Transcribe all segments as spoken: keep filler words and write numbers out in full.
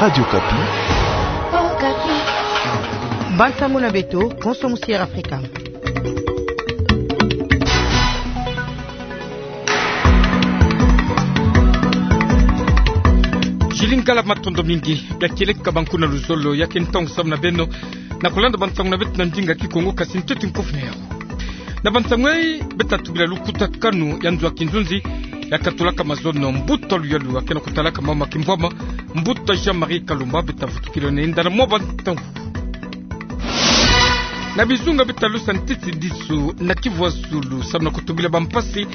Radio Okapi. Bansango na beto, konso musi Air Afrika. Jili Ngala, matondo mingi. Ya kieleka banku na luzolo ya ke ntangu samu na beno na kulanda bansango na beto na ndinga Kikongo, kasi ntete nkofu na yau. Na bansango yai, beta tubila lukutakanu ya nzo ya kinzonzi ya katulaka mazono. Mbuta luyalu ya ke na kutalaka mama kimvwama, Mbuta Jean-Marie Kalumba, beta vutukila nenda na mwa bansango. Na bizunga beta lusa ntete disu na Kivu ya Zulu samu na kutubila bampasi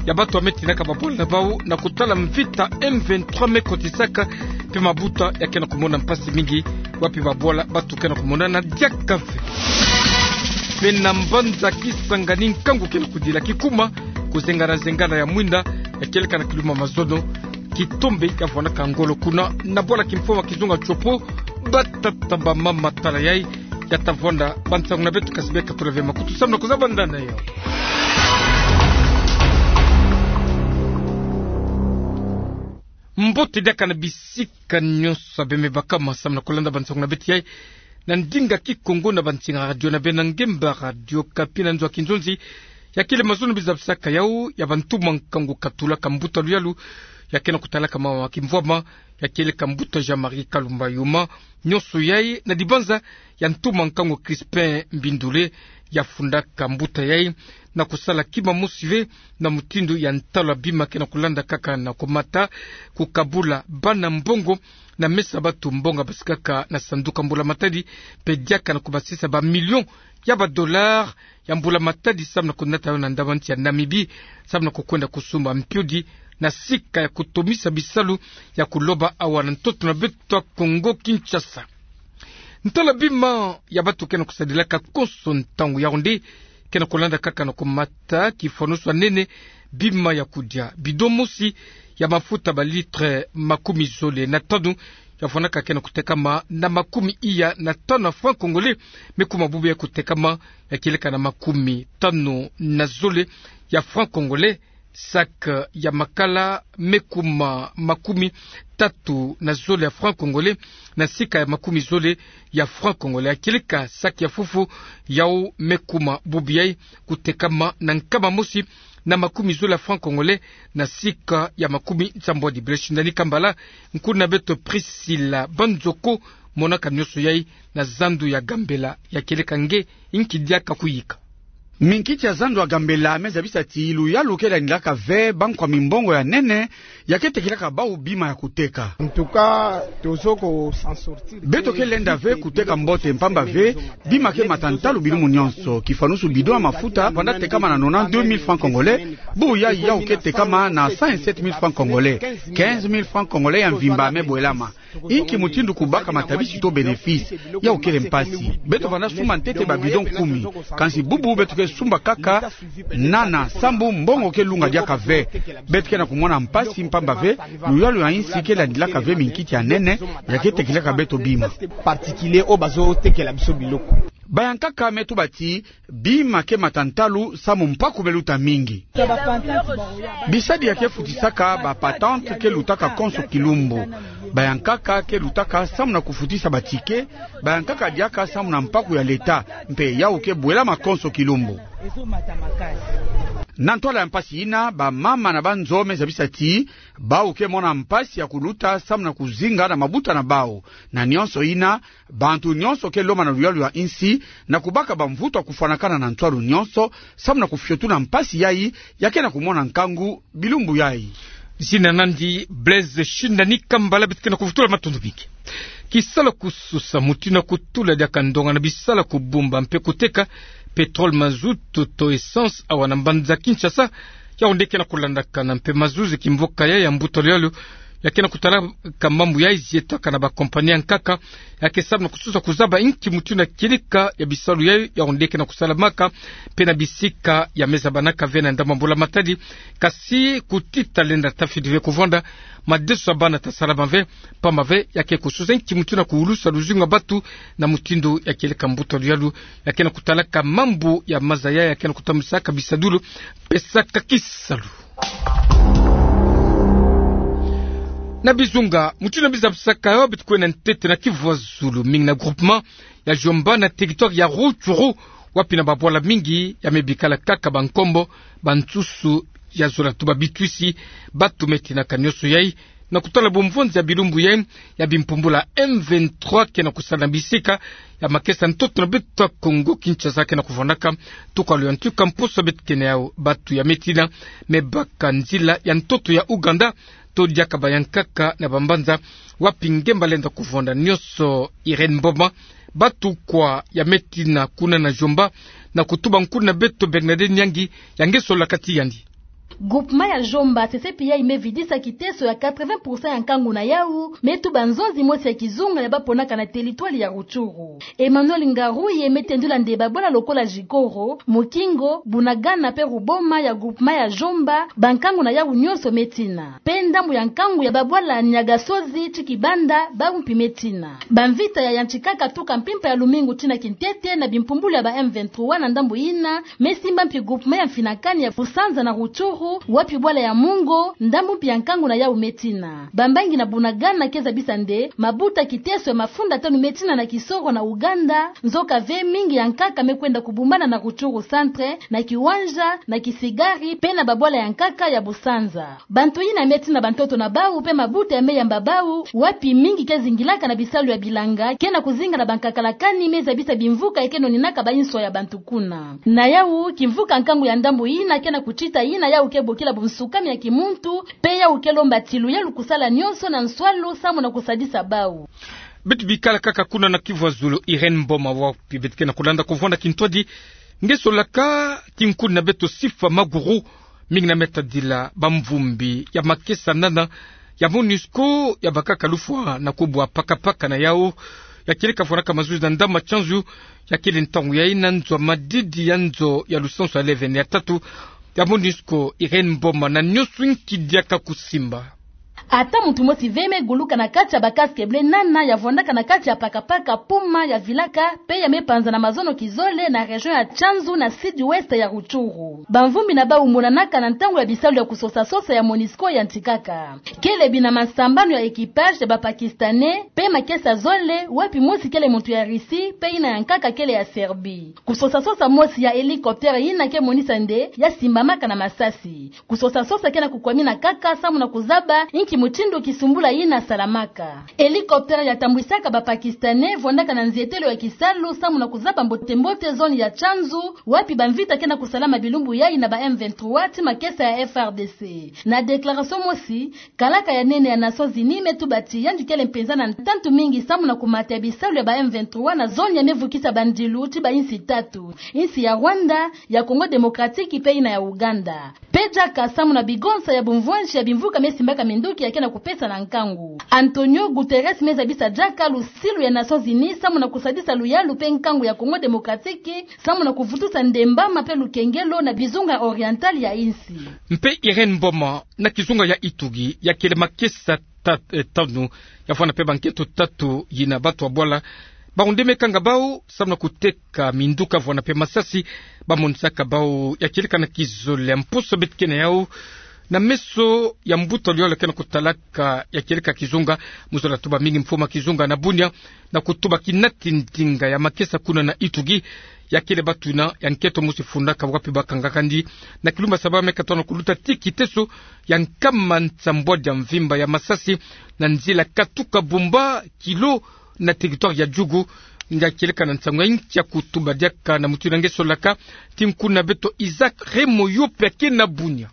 ya batu ya me tinaka babwala na bau na kutala mvita M vingt-trois me kotisaka, mpe mabuta ya ke na kumona mpasi mingi, wapi babwala batu ke na kumonana diaka ve. Mpe na mbanza Kisangani, nkangu ke na kudila kikuma, kuzengana-zengana ya mwinda ya kieleka na kiluma mazono, kitombe ya vwandaka ngolo kuna na bwala kimfoma kizunga Tshopo. Batata, bamama, tala yai ya ta vwanda bansango na beto, kasi beka tula ve makutu samu na kuzaba ndani na yau. Mbote diaka na bisika nyonso ya beno me bakama samu na kulanda bansango na beto yai na ndinga Kikongo na bansinga radio na beno na ngemba Radio Okapi na nzo ya kinzonzi. Ya kele mazono bizabisaka yau ya bantuma nkangu katulaka mbuta luyalu ya ke na kutalaka mama kimvwama, ya kieleka Mbuta Jean-Marie Kalumba Yuma. Nyonso yai na dibanza ya ntuma nkangu Crispin Mbindule, ya fundaka mbuta yai na kusala kima mosi ve na mutindu ya ntalu ya bima ke na kulanda kaka na kumata, kukabula bana mbongo na mesa batu mbongo basikaka na sanduku ya mbula matadi, mpe diaka na kubasisa ba millions ya ba dollars ya mbula matadi samu na kunata yau na ndambu ya nsi ya Namibie, samu na kukwenda kusumba mpiodi na sika ya kutomisa bisalu ya kuloba awa na ntoto na beto ya Kongo Kinshasa. Ntalu ya bima ya batu ke na kusadilaka konso ntangu, yau nde ke na kulanda kaka na kumata, kifanusu ya nene: bima ya kudia, bidon mosi ya mafuta ba litres makumi zole na tanu, ya vwandaka ke na kutekama na makumi iya na tanu ya francs congolais, me kuma bubu ya kutekama ya kieleka na makumi tanu na zole ya francs congolais. Sac ya makala, me kuma makumi tatu na zole ya francs congolais na sika ya makumi zole ya francs congolais. Ya kieleka sac ya fufu, yau me kuma bubu yai kutekama na nkama mosi na makumi zole ya francs congolais na sika ya makumi nsambwadi. Bele Shindani Kambala, nkuna beto Priscilla Banzoko monaka nyonso yai na zandu ya Gambela. Ya kieleka nge, inki diaka kuyika? Minkiti ya zandu ya Gambela me zabisa ti luyalu ke landilaka ve bankwa mimbongo ya nene ya ke tekelaka bau bima ya kuteka. En tout cas, tozo ko s'en sortir. Beto ke lenda ve kuteka mbote, mpamba ve bima ke mata ntalu bilumu nyonso. Kifanusu bidon ya mafuta vanda tekama na nonante-deux mille francs congolais, bubu yai yau ke tekama na cent et sept mille francs congolais. Quinze mille francs congolais ya mvimba me bwelama. Inki mutindu kubaka matabisi to bénéfice? Yau kele mpasi. Beto vanda sumba ntete ba bidon kumi. Kansi bubu beto ke sumba kaka nana, sambu mbongo ke lunga diaka ve. Beto ke na kumona mpasi, mpamba ve luyalu ya insi ke landilaka ve minkiti ya nene ya ke tekelaka beto bima. Particulier oyo bazotekela biso biloko. Bayankaka me tuba ti bima ke mata ntalu samu mpaku me luta mingi. Bisadi ya ke futisaka ba patente ke lutaka konso kilumbu. Bayankaka ke lutaka samu na kufutisa ba ticket. Bayankaka diaka samu na mpaku ya leta, mpe yau ke bwelama konso kilumbu. Na ntwala ya mpasi ina, bamama na banzo me zabisa ti bau ke mona mpasi ya kuluta samu na kuzinga na mabuta na bau. Na nyonso ina, bantu nyonso ke lomba na luyalu ya insi na kubaka bamvutu ya kufwanakana na ntwalu nyonso, samu na kufiotuna mpasi yai ya ke na kumona nkangu bilumbu yai. Zina na nandi Blaise Shindani Kambala, beto ke na kuvutula matondo mingi. Kisalu kususa mutindu ya kutula diaka ndonga na bisalu ya kubumba mpe kuteka pétrole, mazout to essence awa na mbanza Kinshasa, yau nde ke na kulandakana, mpe mazuzi kimvoka ya, ya mbuta luyalu ya ke na kutalaka mambu yai, zietaka na ba compagnie ya nkaka ya ke samu na kususa kuzaba inki mutindu ya kieleka ya bisalu yai, yau nde ke na kusalamaka mpe na bisika ya me zabanaka ve na ndambu ya mbula matadi. Kasi kuti talenda tafidi ve kuvwanda, madeso ya bana tasalama ve, mpamba ve ya ke kususa inki mutindu ya kuulusa luzingu ya batu na mutindu ya kieleka. Mbuta luyalu ya ke na kutalaka mambu ya maza yai ya ke na kutambisaka bisadulu, pesaka kisalu. Na bizunga, mutindu na bizabisaka yo, beto kwenda ntete na Kivu ya Zulu, mingi na groupement ya Jomba na territoire ya Rutshuru, wapi na babwala mingi ya me bikala kaka bankombo, bansusu ya zola tuba bitwisi, batu me tinaka nionso yai, na kutala bumvonzi ya bilumbu yai ya bimpumbulu ya M vingt-trois ke na kusala na bisika ya makesa ntoto na beto ya Kongo Kinshasa ke na kuvwandaka. Tuka lo ya ntuka mposo beto kena yau, batu ya me tina me baka nzila ya ntoto ya Ouganda, to diaka bayankaka na bambanza wapi ngemba lenda kuvwanda nionso. Irène Mboma, batu kwa ya me tina kuna na Jomba, na kutuba nkuna beto Bernadette Nyangi, ya nge sola kati yandi. Groupement ya Jomba, sesepi yai me vidisa kiteso ya quatre-vingts pour cent ya nkangu na yau, me tuba nzonzi mosi ya kizunga ya baponaka na territoire ya Rutshuru. Emmanuel Ngaruye me tendula nde babwala lokola Jikoro, Mukingo, Bunagana pe Ruboma ya groupement ya Jomba, bankangu na yau nionso me tina. Pe ndambu ya nkangu ya babwala Nyagasozi ti Kibanda, bau mpi me tina. Bamvita ya yantikaka tuka mpimpa ya lumingu tina kintete na bimpumbulu ya ba M vingt-trois na ndambu yina, me simba mpi groupement ya Mfinakani ya Busanza na Rutshuru, wapi bwala ya Mungo, ndambu mpi ya nkangu na yau me tina. Bambangi na Bunagana ke zabisa nde mabuta kiteso ya mafunda tanu me tina na Kisoro na Ouganda, nzoka ve mingi ya nkaka me kwenda kubumbana na Rutshuru centre, na Kiwanja, na Kisigari, pe na babwala ya nkaka ya Busanza. Bantu yina me tina bantoto na bau pe mabuta ya me yamba bau, wapi mingi ke zingilaka na bisalu ya bilanga, ke na kuzinga na bankakala kani me zabisa bimvuka ya ke noninaka bainswa ya bantu kuna. Na yau, kimvuka nkangu ya ndambu yina ke na kutita yina yau ke bokila bunsukami ya kimuntu, pe yau ke lomba ti luyalu kusala nionso na nswalu samu na kusadisa bau. Beto bikala kaka kuna na Kivu ya Zulu, Irène Mboma, wapi beto ke na kulanda kuvwanda kintwadi, nge solaka ti nkuna beto Sifa Maguru, mingi na me tadila bamvumbi ya makesa nana ya MONUSCO ya bakaka lufwa na kubwa pakapaka na yau, ya kieleka vwanaka mazuzi na Ndama Tsanzu, ya kiele ntangu yai na nzo ya madidi ya nzo ya lusansu ya levene ya tatu ya MONUSCO. Irène Mboma, na nionso inki diaka kusimba? Ata muntu mosi ve me guluka na kati ya ba casque bleu nana ya vwandaka na kati ya pakapaka Puma ya vilaka, pe ya me panza na mazono kizole na région ya Tsanzu na sud-ouest ya Rutshuru. Bamvumbi na bau monanaka na ntangu ya bisalu ya kusosa-sosa ya MONUSCO yantikaka. Kiele bina masambanu ya équipage ya ba Pakistanais, pe makesa zole, wapi mosi kiele muntu ya Russie, pe yina ya nkaka kiele ya Serbie. Kusosa-sosa mosi ya hélicoptère yina ke monisa nde ya simbamaka na masasi. Kusosa-sosa ke na kukwamina kaka samu na kuzaba inki mutindu kisumbula yina salamaka. Hélicoptère ya tambwisaka ba Pakistanais vwandaka na nzietelo ya kisalu samu na kuzaba mbote-mbote zone ya Tsanzu, wapi bamvita ke na kusalama bilumbu yai na ba M vingt-trois ti makesa ya F R D C. Na déclaration mosi, kalaka ya nene ya Nations Unies me tuba ti yandi kiele mpenza na ntantu mingi samu na kumata ya bisalu ya ba M vingt-trois na zone ya me vukisa bandilu ti bainsi tatu, insi ya Rwanda, ya Congo Démocratique pe yina ya Ouganda. Pe diaka samu na bigonsa ya bumvwansi ya bimvuka me simbaka minduki ya ke na kupesa na nkangu. Antonio Guterres me zabisa diaka lusilu ya Nations Unies samu na kusadisa luyalu pe nkangu ya Congo Démocratique, samu na kuvutusa ndembama pe lukengelo na bizunga oriental ya insi. Mpe Irène Mboma, na kizunga ya Ituri, ya kiele makesa tat-, eh, tanu, ya vwanda pe bankento tatu yina batu ya bwala, bau nde me kanga bau samu na kuteka minduka vwanda pe masasi, ba monisaka bau ya kieleka na kizole ya mposo beto ke na yau, na meso ya mbuta luyolo ke na kutalaka ya kieleka kizunga, mu zola tuba mingi mfumu a kizunga na Bunia, na kutuba kinati ndinga ya makesa kuna na Ituri, ya kiele batu yina ya nkento mosi fundaka wapi ba kangaka ndi, na kilumbu ya saba me katono kuluta ti kiteso ya nkama nsambwadi ya mvimba ya masasi, na nzila katuka Bumba, Kilo, na territoire ya Djugu, ndia kieleka na nsangu ya nki ya kutuba diaka na mutu yina nge solaka, ti nkuna beto Isaac Remo yo pe ya ke na Bunia.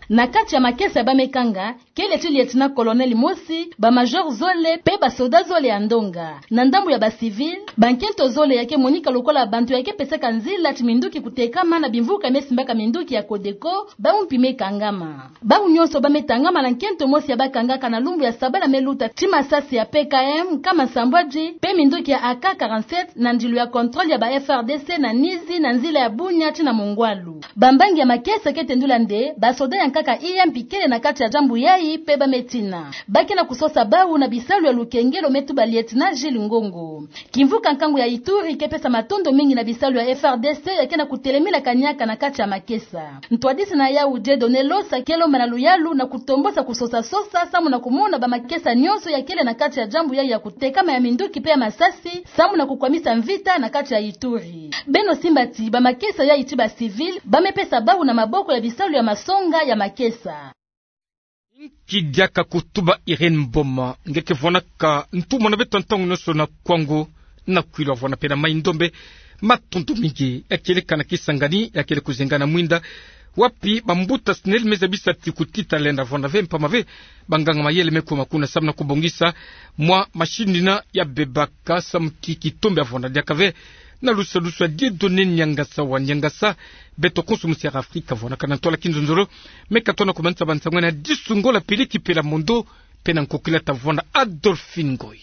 Na kati ya makesa ya ba me kanga, kiele ti lieutenant-colonel mosi, ba major zole, pe ba soda zole ya ndonga. Na ndambu ya ba civil, bankento zole ya ke monika lokola bantu ya ke pesaka nzila ti minduki kutekama na bimvuka me simbaka minduki ya Codeco, bau mpi me kangama. Bau nyonso ba me tangama na nkento mosi ya ba kangaka na lumbu ya sabala me luta ti masasi ya P K M nkama nsambwadi, pe minduki ya A K quarante-sept na ndilu ya contrôle ya ba F R D C na Nizi na nzila ya Bunia ti na Mongwalu. Bambangi ya makesa ke tendula nde, ba soda ya kaka iya mpi kele na kati ya jambu yayi pe ba me tina. Ba ke na kusosa bawu na bisalu ya lukengelo, me tuba lieutenant Gilles Ngongo. Kimvuka nkangu ya Ituri ke pesa matondo mingi na bisalu ya F R D C ya ke na kutelemila kaniaka na kati ya makesa. Ntwadisi na yawu Dieudonné Losa ke lomba na luyalu na kutombosa kusosa-sosa samu na kumona ba makesa nyonso ya kele na kati ya jambu yayi ya kutekama ya minduki pe ya masasi samu na kukwamisa mvita na kati ya Ituri. Beno simba ti ba makesa yayi ti ba civil ba me pesa bawu na maboko ya bisalu ya masonga ya makesa. Nki diaka kutuba Irène Mboma, nge ke vwanaka ntumwa na beto ntangu nyonso na Kwango, na Kwilu, vwana pe na Mai-Ndombe. Matondo mingi. Ya kele kana Kisangani, ya kele kuzenga na mwinda, wapi bambuta sineli me zabisa ti kuti talenda vwana ve mpama ve banganga-mayele me kuma kuna samu na kubongisa mwa machine ina ya bebaka samu ti kitombe ya vwana. Diaka ve na lusa-lusa Dieudonné Niangasa wa Niangasa. Beto konso mu Sierra Afrika vwanaka na ntwala kinzonzolo. Me ka tona kumanisa bansango na disungo la pili kipela mondo, pe na nkokila ta vwana Adolphine Ngoy.